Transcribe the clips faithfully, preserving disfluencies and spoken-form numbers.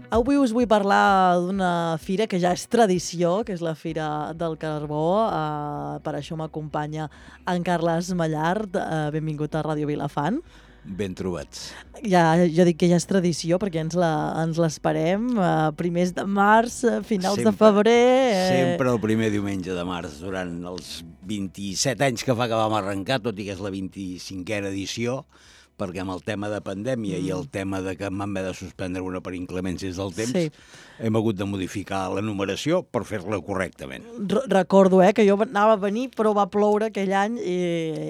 Avui us vull parlar d'una fira que ja és tradició, que és la Fira del Carbó. Uh, per això m'acompanya en Carles Mallart. Uh, benvingut a Ràdio Vilafant. Ben trobats. Ja, jo dic que ja és tradició perquè ens la, ens l'esperem. Uh, primers de març, finals sempre, de febrer... Eh... Sempre el primer diumenge de març, durant els vint-i-set anys que fa que vam arrencar, tot i que és la vint-i-cinquena edició, perquè amb el tema de pandèmia mm. i el tema de que vam haver de suspendre una per inclemències del temps, sí. hem hagut de modificar la numeració per fer-la correctament. R Recordo eh, que jo anava a venir, però va ploure aquell any i,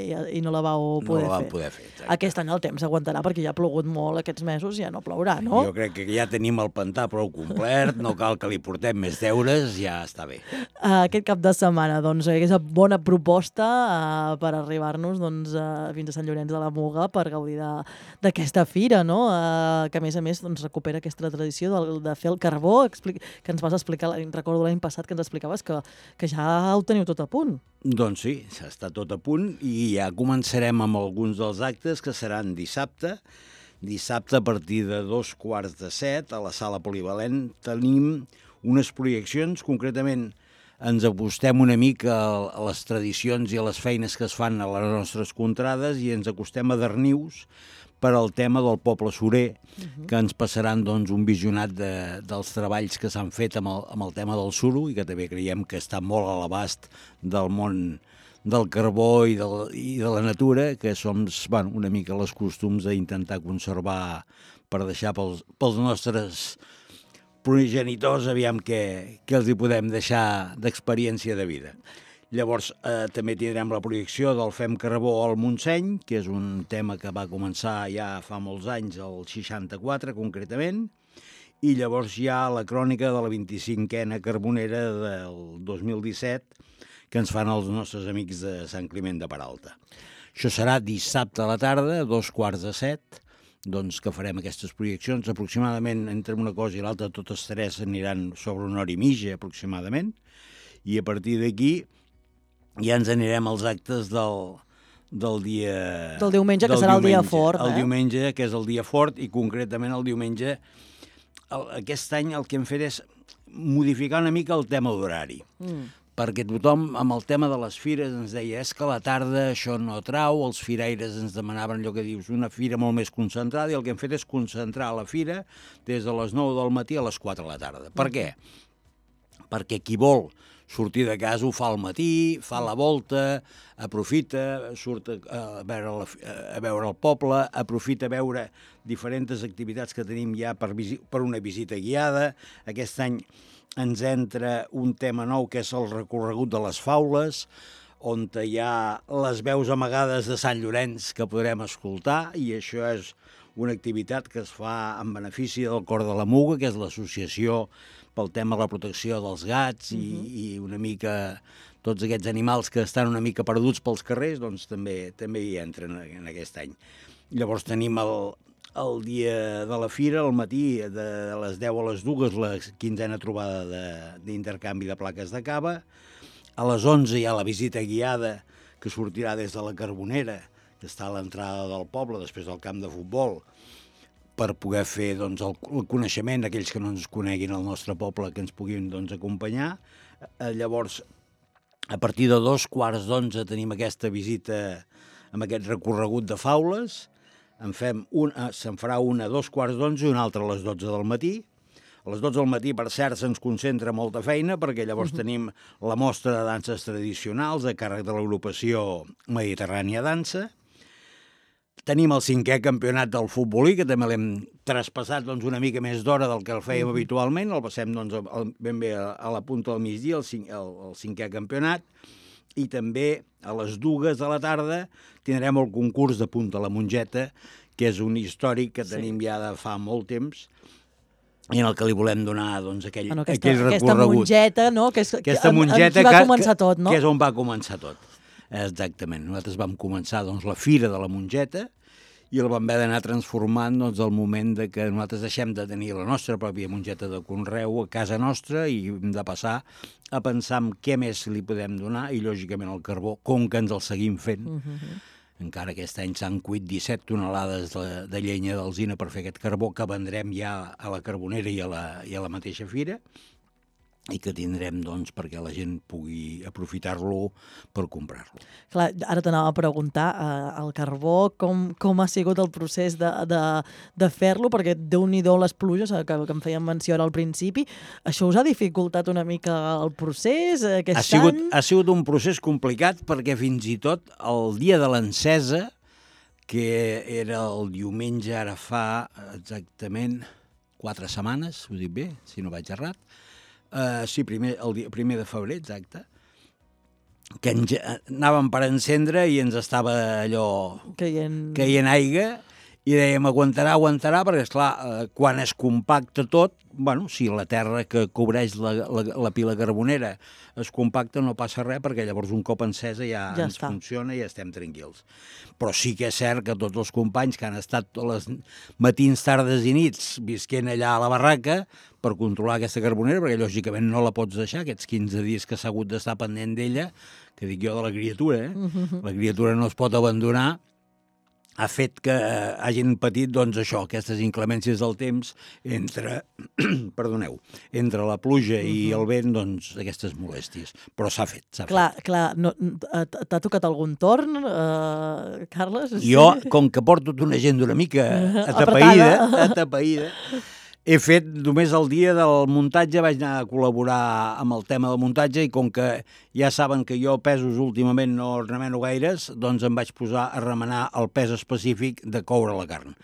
i, i no la vau poder no la vam fer. poder fer. Exacte. Aquest any el temps aguantarà perquè ja ha plogut molt aquests mesos, ja no plourà, no? Jo crec que ja tenim el pantà prou complet, no cal que li portem més deures, ja està bé. Uh, aquest cap de setmana, doncs, és una bona proposta uh, per arribar-nos doncs, uh, fins a Sant Llorenç de la Muga per gaudir d'aquesta fira, no? Uh, que a més a més doncs, recupera aquesta tradició de, de fer el carbó, explica, que ens vas explicar, recordo l'any passat que ens explicaves que, que ja ho teniu tot a punt. Doncs sí, està tot a punt i ja començarem amb alguns dels actes que seran dissabte. Dissabte a partir de dos quarts de set a la sala polivalent tenim unes projeccions, concretament ens acostem una mica a les tradicions i a les feines que es fan a les nostres contrades i ens acostem a Darnius per al tema del poble surer, uh-huh. que ens passaran doncs, un visionat de, dels treballs que s'han fet amb el, amb el tema del suro i que també creiem que està molt a l'abast del món del carbó i de, i de la natura, que som bueno, una mica els costums d'intentar conservar per deixar pels, pels nostres progenitors, aviam què, què els hi podem deixar d'experiència de vida. Llavors, eh, també tindrem la projecció del Fem Carbó al Montseny, que és un tema que va començar ja fa molts anys, el seixanta-quatre concretament, i llavors hi ha la crònica de la vint-i-cinquena carbonera del dos mil disset, que ens fan els nostres amics de Sant Climent de Peralta. Això serà dissabte a la tarda, a dos quarts de set, doncs que farem aquestes projeccions. Aproximadament, entre una cosa i l'altra, totes tres aniran sobre una hora i mitja, aproximadament, i a partir d'aquí ja ens anirem als actes del, del dia... Del diumenge, del que serà diumenge, el dia fort. El eh? diumenge, que és el dia fort, i concretament el diumenge, el, aquest any el que hem fet és modificar una mica el tema d'horari. Mm. Perquè tothom, amb el tema de les fires, ens deia és que a la tarda això no trau, els firaires ens demanaven allò que dius, una fira molt més concentrada, i el que hem fet és concentrar la fira des de les nou del matí a les quatre de la tarda. Per què? Perquè qui vol sortir de casa ho fa al matí, fa la volta, aprofita, surt a veure, la, a veure el poble, aprofita a veure diferents activitats que tenim ja per, per una visita guiada. Aquest any ens entra un tema nou que és el recorregut de les faules, on hi ha les veus amagades de Sant Llorenç que podrem escoltar, i això és una activitat que es fa en benefici del Cor de la Muga, que és l'associació pel tema de la protecció dels gats i, uh-huh. i una mica tots aquests animals que estan una mica perduts pels carrers, doncs també, també hi entren en aquest any. Llavors tenim el... El dia de la fira, al matí, de les deu a les dues, la quinzena trobada d'intercanvi de, de plaques de cava. A les onze hi ha la visita guiada, que sortirà des de la Carbonera, que està a l'entrada del poble, després del camp de futbol, per poder fer doncs, el, el coneixement d'aquells que no ens coneguin al nostre poble, que ens puguin doncs, acompanyar. Eh, llavors, a partir de dos quarts d'onze tenim aquesta visita amb aquest recorregut de faules. En fem un, se'n farà una a dos quarts d'onze i una altra a les dotze del matí. A les dotze del matí, per cert, se'ns concentra molta feina, perquè llavors uh-huh. tenim la mostra de danses tradicionals a càrrec de l'agrupació Mediterrània Dansa. Tenim el cinquè campionat del futbolí, que també l'hem traspassat doncs, una mica més d'hora del que el fèiem uh-huh. habitualment. El passem doncs, ben bé a, a la punta del migdia, el, cinc, el, el cinquè campionat. I també a les dues de la tarda tindrem el concurs de Punta a la Mongeta, que és un històric que tenim sí. ja de fa molt temps, i en el que li volem donar doncs, aquell, bueno, aquesta, aquell recorregut. Aquesta mongeta, no? Que és, aquesta mongeta que, va que, començar tot, no? Que és on va començar tot. Exactament. Nosaltres vam començar doncs, la Fira de la Mongeta, i el vam haver d'anar transformant doncs, el moment de que nosaltres deixem de tenir la nostra pròpia mongeta de conreu a casa nostra i hem de passar a pensar en què més li podem donar, i lògicament el carbó, com que ens el seguim fent, uh-huh. encara aquest any s'han cuit disset tonelades de, de llenya d'alzina per fer aquest carbó que vendrem ja a la Carbonera i a la, i a la mateixa fira, i que tindrem, doncs, perquè la gent pugui aprofitar-lo per comprar-lo. Clar, ara t'anava a preguntar, eh, el carbó, com, com ha sigut el procés de, de, de fer-lo, perquè déu-n'hi-do les pluges, que, que em feien menció ara al principi, això us ha dificultat una mica el procés aquest ha sigut, any? Ha sigut un procés complicat perquè fins i tot el dia de l'encesa, que era el diumenge, ara fa exactament quatre setmanes, ho dic bé, si no vaig errat, Uh, sí, primer, el dia, primer de febrer, exacte, que enge, anàvem per encendre i ens estava allò caient, caient aigua i dèiem aguantarà, aguantarà, perquè esclar, uh, quan es compacta tot, bueno, si la terra que cobreix la, la, la pila carbonera es compacta no passa res, perquè llavors un cop encesa ja, ja ens està. funciona i estem tranquils. Però sí que és cert que tots els companys que han estat tots els matins, tardes i nits visquent allà a la barraca per controlar aquesta carbonera, perquè lògicament no la pots deixar, aquests quinze dies que s'ha hagut d'estar pendent d'ella, que dic jo de la criatura, eh? Uh-huh. La criatura no es pot abandonar, ha fet que hagin patit, doncs, això, aquestes inclemències del temps entre, perdoneu, entre la pluja uh-huh. i el vent, doncs, aquestes molèsties. Però s'ha fet, s'ha clar, fet. Clar, no, t'ha tocat algun torn, uh, Carles? Jo, com que porto una gent una mica atapeïda, atapeïda, he fet només el dia del muntatge, vaig anar a col·laborar amb el tema del muntatge i com que ja saben que jo pesos últimament no remeno gaires, doncs em vaig posar a remenar el pes específic de coure la carn.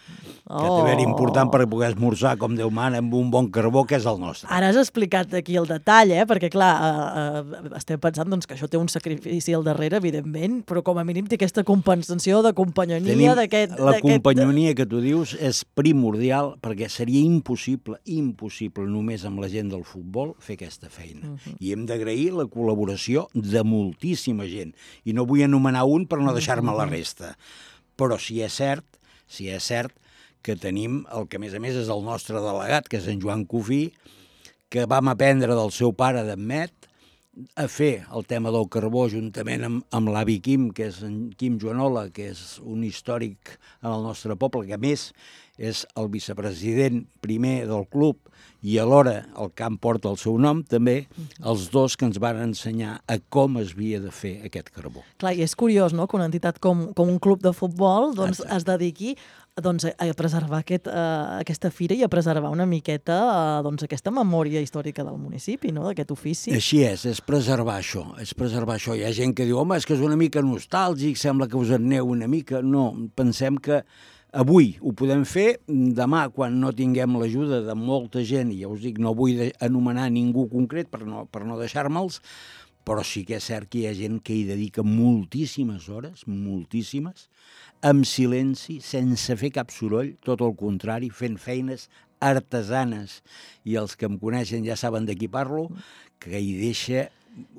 Oh. Que també era important per poder esmorzar, com Déu mana, amb un bon carbó, que és el nostre. Ara has explicat aquí el detall, eh? Perquè clar, eh, eh, estem pensant doncs, que això té un sacrifici al darrere, evidentment, però com a mínim té aquesta compensació de companyonia d'aquest... La companyonia que tu dius és primordial perquè seria impossible, impossible només amb la gent del futbol fer aquesta feina. Uh-huh. I hem d'agrair la col·laboració de moltíssima gent. I no vull anomenar un per no deixar-me la resta. Però si és cert, si és cert que tenim el que a més a més és el nostre delegat, que és en Joan Cofí, que vam aprendre del seu pare d'Amet a fer el tema del carbó juntament amb, amb l'avi Quim, que és en Quim Joanola, que és un històric en el nostre poble, que a més és el vicepresident primer del club i alhora el camp porta el seu nom, també, els dos que ens van ensenyar a com es havia de fer aquest carbó. Clar, i és curiós, no?, que una entitat com, com un club de futbol doncs, es dediqui doncs, a preservar aquest, uh, aquesta fira i a preservar una miqueta uh, doncs, aquesta memòria històrica del municipi, no?, d'aquest ofici. Així és, és preservar això, és preservar això. Hi ha gent que diu, home, és que és una mica nostàlgic, sembla que us en aneu una mica. No, pensem que avui ho podem fer, demà, quan no tinguem l'ajuda de molta gent, i ja us dic, no vull anomenar ningú concret per no, per no deixar-me'ls, però sí que és cert que hi ha gent que hi dedica moltíssimes hores, moltíssimes, amb silenci, sense fer cap soroll, tot el contrari, fent feines artesanes. I els que em coneixen ja saben de qui parlo, que hi deixa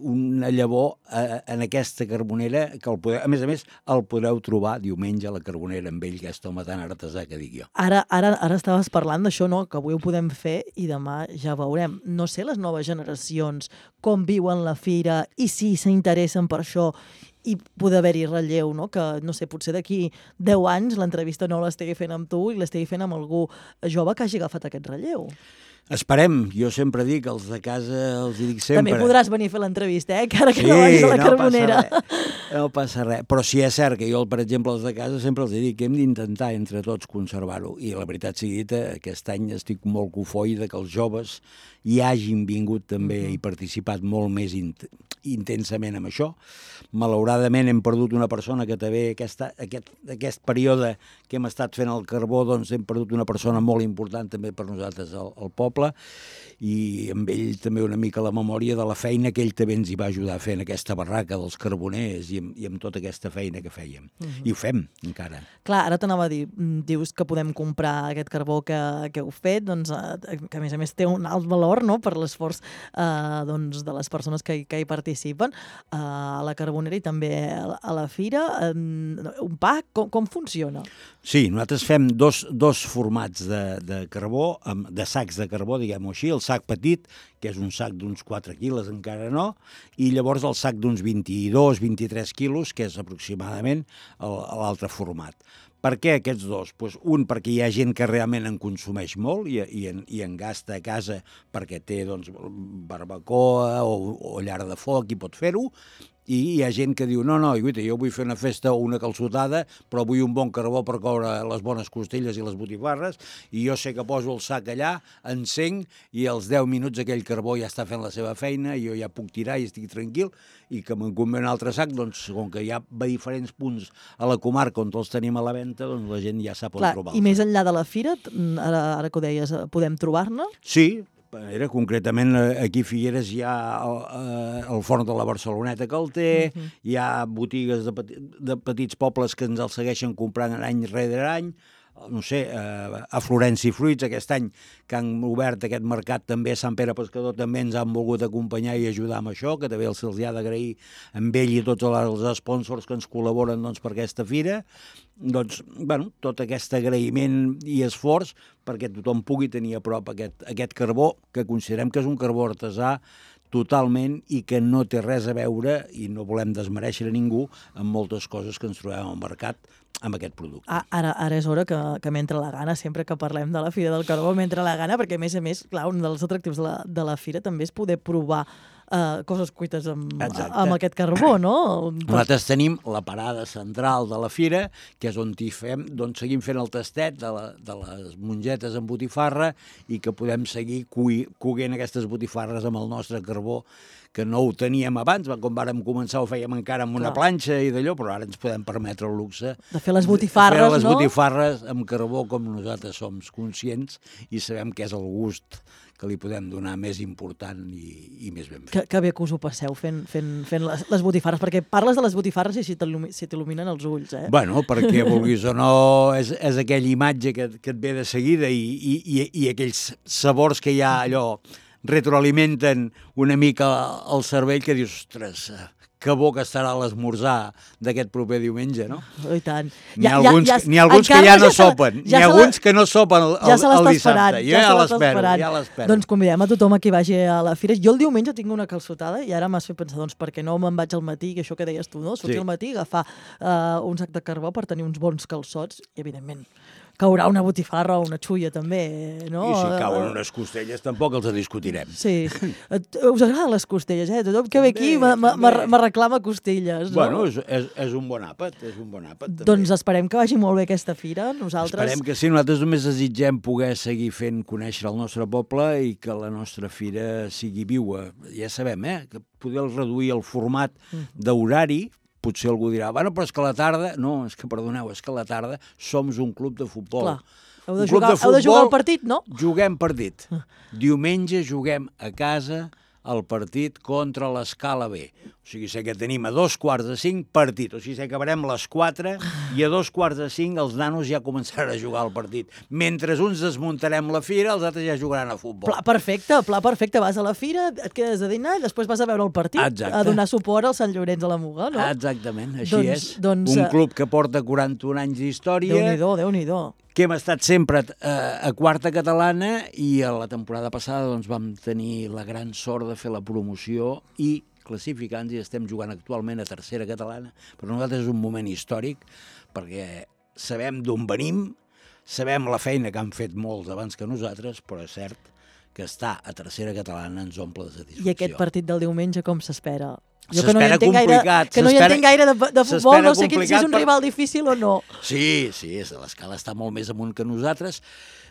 una llavor eh, en aquesta carbonera, que el podeu, a més a més el podreu trobar diumenge a la Carbonera amb ell, aquest home tan artesà que dic jo. Ara, ara, ara estaves parlant d'això, no?, que avui ho podem fer i demà ja veurem. No sé les noves generacions com viuen la fira i si s'interessen per això i poder haver-hi relleu, no?, que, no sé, potser d'aquí deu anys l'entrevista no l'estigui fent amb tu i l'estigui fent amb algú jove que hagi agafat aquest relleu. Esperem, jo sempre dic, els de casa els dic sempre... També podràs venir a fer l'entrevista, eh? Encara que sí, no vagis a la no Carbonera. Passa res, no passa res. Però sí és cert que jo, per exemple, els de casa sempre els dic que hem d'intentar entre tots conservar-ho. I la veritat sigui dita, aquest any estic molt cofoide que els joves hi hagin vingut també uh-huh. i participat molt més int intensament amb això. Malauradament hem perdut una persona que també aquesta, aquest, aquest període que hem estat fent el carbó, doncs hem perdut una persona molt important també per nosaltres al, al poble, i amb ell també una mica la memòria de la feina que ell també ens hi va ajudar a fer en aquesta barraca dels carboners i amb, i amb tota aquesta feina que fèiem. Uh-huh. I ho fem encara. Clar, ara t'anava a dir, dius que podem comprar aquest carbó que, que heu fet, doncs, que a més a més té un alt valor, no?, per l'esforç eh, doncs, de les persones que, que hi participen uh, a la Carbonera i també també a la fira. Un pack, com, com funciona? Sí, nosaltres fem dos, dos formats de, de carbó, de sacs de carbó, diguem-ho així, el sac petit, que és un sac d'uns quatre quilos, encara no, i llavors el sac d'uns vint-i-dos vint-i-tres quilos, que és aproximadament l'altre format. Per què aquests dos? Pues un, perquè hi ha gent que realment en consumeix molt i, i, en, i en gasta a casa perquè té doncs, barbacoa o, o llar de foc i pot fer-ho, i hi ha gent que diu, no, no, guaita, jo vull fer una festa o una calçotada, però vull un bon carbó per coure les bones costelles i les botifarres, i jo sé que poso el sac allà, encenc, i als deu minuts aquell carbó ja està fent la seva feina, i jo ja puc tirar i estic tranquil, i que me'n convé un altre sac, doncs, com que hi ha diferents punts a la comarca on els tenim a la venda, doncs la gent ja sap on trobar-los. I més enllà de la fira, ara, ara que ho deies, podem trobar-ne? Sí, era concretament aquí a Figueres hi ha el, el forn de la Barceloneta que el té, uh-huh. Hi ha botigues de, peti, de petits pobles que ens el segueixen comprant any rere any, no sé, a Florenci Fruits aquest any que han obert aquest mercat també a Sant Pere Pescador també ens han volgut acompanyar i ajudar amb això, que també se'ls ha d'agrair amb ell i tots els sponsors que ens col·laboren doncs, per aquesta fira. Doncs, bueno, tot aquest agraïment i esforç perquè tothom pugui tenir a prop aquest, aquest carbó, que considerem que és un carbó artesà totalment i que no té res a veure, i no volem desmereixer a ningú, amb moltes coses que ens trobem al mercat amb aquest producte. Ah, ara, ara és hora que, que m'entra la gana, sempre que parlem de la Fira del Carbó m'entra la gana, perquè a més a més, clar, un dels atractius de la, de la fira també és poder provar uh, coses cuites amb, amb aquest carbó, no? Nosaltres tenim la parada central de la fira, que és on hi fem, doncs seguim fent el tastet de, la, de les mongetes amb botifarra i que podem seguir coguent aquestes botifarres amb el nostre carbó, que no ho teníem abans, quan vàrem començar ho fèiem encara amb una Clar. planxa i d'allò, però ara ens podem permetre el luxe de fer les botifarres, de fer les no? botifarres amb carbó com nosaltres som conscients i sabem que és el gust que li podem donar més important i, i més ben fet. Que, que bé que us ho passeu fent, fent, fent les, les botifarres, perquè parles de les botifarres i si t'il·luminen els ulls, eh? Bueno, perquè vulguis o no, és, és aquella imatge que, que et ve de seguida i, i, i, i aquells sabors que hi ha allò retroalimenten una mica el cervell que dius, ostres, que bo que estarà l'esmorzar d'aquest proper diumenge, no? Oh, i tant. N'hi ha alguns, ja, ja, n'hi ha alguns que ja no ja sopen, ja n'hi ha alguns que no sopen el, ja el, el dissabte. Jo ja, ja l'espero, ja l'espero. Doncs convidem a tothom a qui vagi a la fira. Jo el diumenge tinc una calçotada i ara m'has fet pensar, doncs, perquè no me'n vaig al matí, que això que deies tu, no? Sortir sí. al matí, agafar uh, un sac de carbó per tenir uns bons calçots i, evidentment, caurà una botifarra o una xulla, també, no? I si cauen unes costelles, tampoc els discutirem. Sí. Us agraden les costelles, eh? Tothom que ve aquí me reclama costelles, no? Bueno, és, és, és un bon àpat, és un bon àpat, també. Doncs esperem que vagi molt bé aquesta fira, nosaltres... Esperem que sí, nosaltres només desitgem poder seguir fent conèixer el nostre poble i que la nostra fira sigui viua. Ja sabem, eh? Que poder reduir el format d'horari. Potser algú dirà, bueno, però és que a la tarda... No, és que, perdoneu, és que a la tarda som un club de futbol. Clar, heu de, jugar, de futbol, heu de jugar al partit, no? Juguem partit. Diumenge juguem a casa el partit contra l'Escala B. O sigui, sé que tenim a dos quarts de cinc partit. O sigui, sé que acabarem a les quatre i a dos quarts de cinc els nanos ja començaran a jugar al partit. Mentre uns desmuntarem la fira, els altres ja jugaran a futbol. Pla perfecte, pla perfecte. Vas a la fira, et quedes a dinar i després vas a veure el partit. Exacte. A donar suport al Sant Llorenç de la Muga, no? Exactament, així doncs, és. Doncs, un club que porta quaranta-un anys d'història. Déu-n'hi-do, Déu-n'hi-do. Que hem estat sempre a, a quarta catalana i a la temporada passada doncs, vam tenir la gran sort de fer la promoció i classificants i estem jugant actualment a tercera catalana. Per nosaltres és un moment històric perquè sabem d'on venim, sabem la feina que han fet molts abans que nosaltres, però és cert que estar a tercera catalana ens omple de satisfacció. I aquest partit del diumenge com s'espera? Jo que no hi entenc gaire, que no hi entenc gaire de, de futbol, no sé si és un rival difícil o no. Sí, sí, l'Escala està molt més amunt que nosaltres.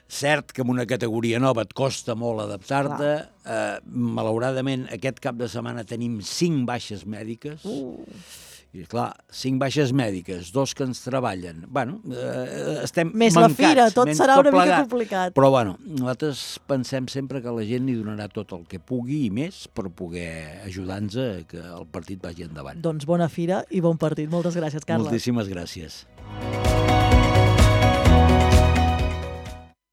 Cert que en una categoria nova et costa molt adaptar-te. Eh, malauradament, aquest cap de setmana tenim cinc baixes mèdiques. Uh. I, clar, cinc baixes mèdiques, dos que ens treballen. Bueno, eh, estem més mancats. Més la fira, tot serà tot una plegat. Mica complicat. Però, bueno, nosaltres pensem sempre que la gent li donarà tot el que pugui i més per poder ajudar-nos a que el partit vagi endavant. Doncs bona fira i bon partit. Moltes gràcies, Carles. Moltíssimes gràcies.